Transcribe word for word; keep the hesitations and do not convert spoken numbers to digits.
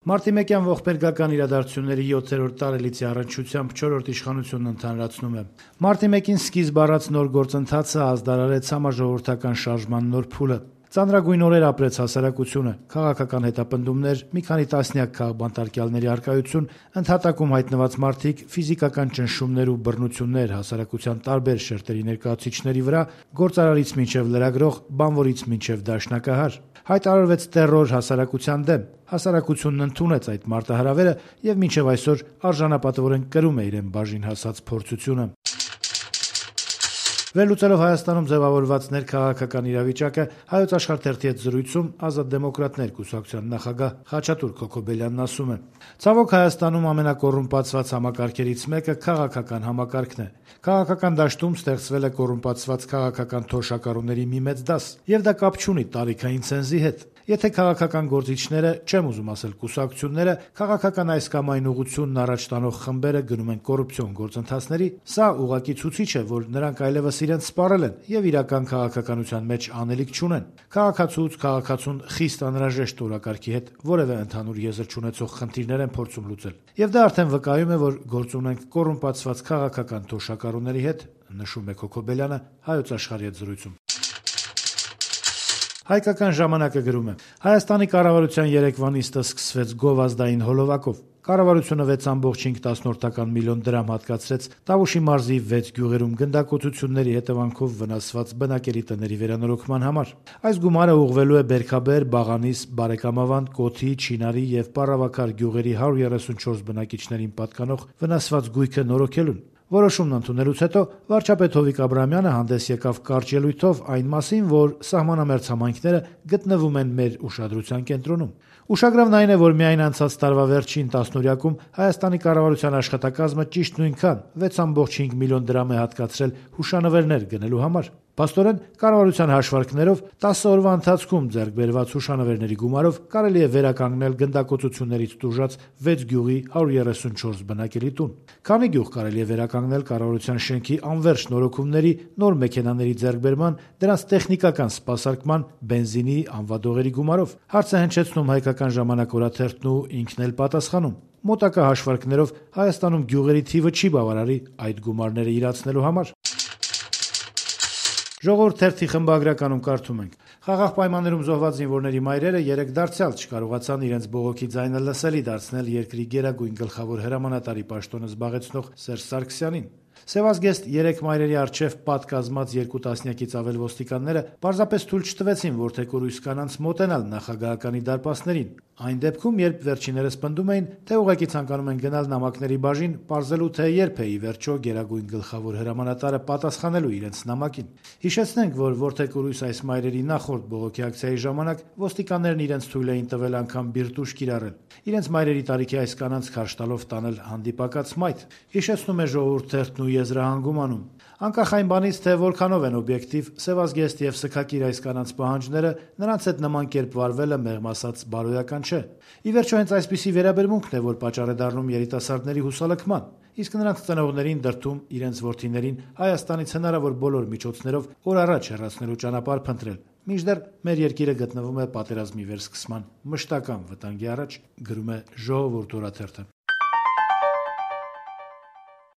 Մարտի մեկյան ողբերգական իրադարձությունների յոթերորդ տարելիցի առնչությամբ չորրորդ իշխանությունն ընդհանրացնում է. Մարտի մեկին սկիզբ առած նոր գործընթացը ազդարարեց համաժողովրդական շարժման նոր փուլը։ Ծանրագույն օրեր ապրեց հասարակությունը, քաղաքական հետապնդումներ, մի քանի տասնյակ քաղբանտարկյալների առկայություն, ընդհատակում հայտնված մարդիկ, ֆիզիկական ճնշումներ ու բռնություններ հասարակության տարբեր շերտերի ներկայացուցիչների վրա, գործարարից մինչև լրագրող, բանվորից մինչև դաշնակահար։ Հայտարարվեց տեռոր հասարակության դեմ։ Հասարակությունն ընդունեց այդ մարտահրավերը եւ մինչեւ այսօր արժանապատվորեն կրում է իրեն բաժին հասած փորձությունը։ Վերլուծելով Հայաստանում ձևավորված ներքաղաքական իրավիճակը, Հայոց Աշխարհ թերթի հետ զրույցում Ազատ դեմոկրատներ կուսակցության նախագահ Խաչատուր Քոքոբելյանն ասում է. «Ցավոք Հայաստանում ամենակոռումպացված համակարգերից մեկը քաղաքական համակարգն է։ Քաղաքական դաշտում ստեղծվել է կոռումպացված քաղաքական թոշակառուների մի մեծ դաս, եւ դա կապ չունի տարիքային ցենզի հետ։ Եթե քաղաքական գործիչները, չեմ ուզում ասել կուսակցությունները, քաղաքական այս կամ այն ուղղությունն առաջ տանող խմբերը գնում են կոռուպցիոն գործընթացների, սա ուղղակի ցուցիչ է, որ նրանք այլևս իրենց սպառել են եւ իրական քաղաքականության մեջ անելիք չունեն։ Քաղաքացուց քաղաքացուն խիստ անհրաժեշտ օրակարգի հետ որևէ ընդհանուր եզր չունեցող խնդիրներ են փորձում լուծել։ Եվ դա արդեն վկայում է, որ գործ ունենք կոռումպացված քաղաքական թոշակառուների հետ», նշում է Քոքոբելյանը Հայոց Աշխարհի հետ զրույցում։ Հայկական ժամանակը գրում է. «Հայաստանի կառավարության երեկվա նիստը սկսվեց գովազդային հոլովակով։ Կառավարությունը վեց ամբողջ հինգ միլիոն դրամ հատկացրեց Տավուշի մարզի վեց գյուղերում գնդակոծությունների հետևանքով վնասված բնակելի տների վերանորոգման համար։ Այս գումարը ուղղվելու է Բերքաբեր, Բաղանիս, Բարեկամավանդ, Կոթի, Չինարի եւ Պառավաքար գյուղերի հարյուր երեսունչորս բնակիչներին պատկանող վնասված գույքը նորոգելուն։ Որոշումն ընդունելուց հետո վարչապետ Հովիկ Աբրահամյանը հանդես եկավ կարճ ելույթով այն մասին, որ սահմանամերձ համայնքները գտնվում են մեր ուշադրության կենտրոնում։ Ուշագրավն այն է, որ միայն անցած տարվա վերջին տասնօրյակում Հայաստանի կառավարության աշխատակազմը ճիշտ նույնքան վեց ամբողջ հինգ միլիոն դրամ է հատկացրել հուշանվերներ գնելու համար։ Փաստորեն, կառավարության հաշվարկներով տասը օրվա ընթացքում ձեռք բերված հուշանվերների գումարով կարելի է վերականգնել գնդակոծություններից տուժած վեց գյուղի հարյուր երեսունչորս բնակելի տուն։ Քանի գյուղ կարելի է վերականգնել կառավարության շենքի անվերջ նորոգումների, նոր մեքենաների ձեռքբերման, դրանց տեխնիկական սպասարկման, բենզինի, անվադողերի գումարով։ Հարց է հնչեցնում Հայկական ժամանակ օրաթերթն ու ինքն էլ պատասխանում։ Մոտակա հաշվարկներով Հայաստանում գյուղերի թիվը չի բավարարի այդ գումարները իրացնելու համար»։ Ժողովուրդ թերթի խմբագրականում կարդում ենք. «Խաղաղ պայմաններում զոհված զինվորների մայրերը երեկ դարձյալ չկարողացան իրենց բողոքի ձայնը լսելի դարձնել երկրի գերագույն գլխավոր հրամանատարի պաշտոնը զբաղեցնող Սերժ Սարգսյանին։ Սևազգեստ երեք մայրերի առջև պատկազմած երկու տասնյակից ավել ոստիկանները պարզապես թույլ չտվեցին որդեկորույս կանանց մոտենալ նախագահականի դարպասներին։ Այն դեպքում, երբ վերջիններս պնդում էին, թե ուղղակի ցանկանում են գնալ նամակների բաժին, պարզելու թե երբ է ի վերջո գերագույն գլխավոր հրամանատարը պատասխանելու իրենց նամակին։ Հիշեցնենք, որ որդեկորույս այս մայրերի նախորդ բողոքի ակցիայի ժամանակ ոստիկաններն իրենց թույլ էին տվել անգամ բիրտուշ կիրառել, իրենց մայրերի տարիքի այս կանանց քարշ տալով տանել հանդիպակաց մայթ։ Հիշեցնում է Ժողովուրդ թերթն ու եզրահանգում անում. Անկախ այն բանից, թե որքանով են օբյեկտիվ, Սևազգեստ եւ Սքակիր այս կանանց պահանջները, նրանց հետ նման կերպ վարվելը մեղմ ասած բարոյական չէ։ Ի վերջո հենց այսպիսի վերաբերմունքն է, որ պատճառ է դառնում երիտասարդների հուսալքման, իսկ նրանց ծնողներին դրդում իրենց որդիներին Հայաստանից հնարավոր բոլոր միջոցներով օր առաջ հեռացնելու ճանապարհ փնտրել։ Մինչդեռ մեր երկիրը գտնվում է պատերազմի վերսկսման մշտական վտանգի առաջ, գրում է Ժողովուրդ օրաթերթը։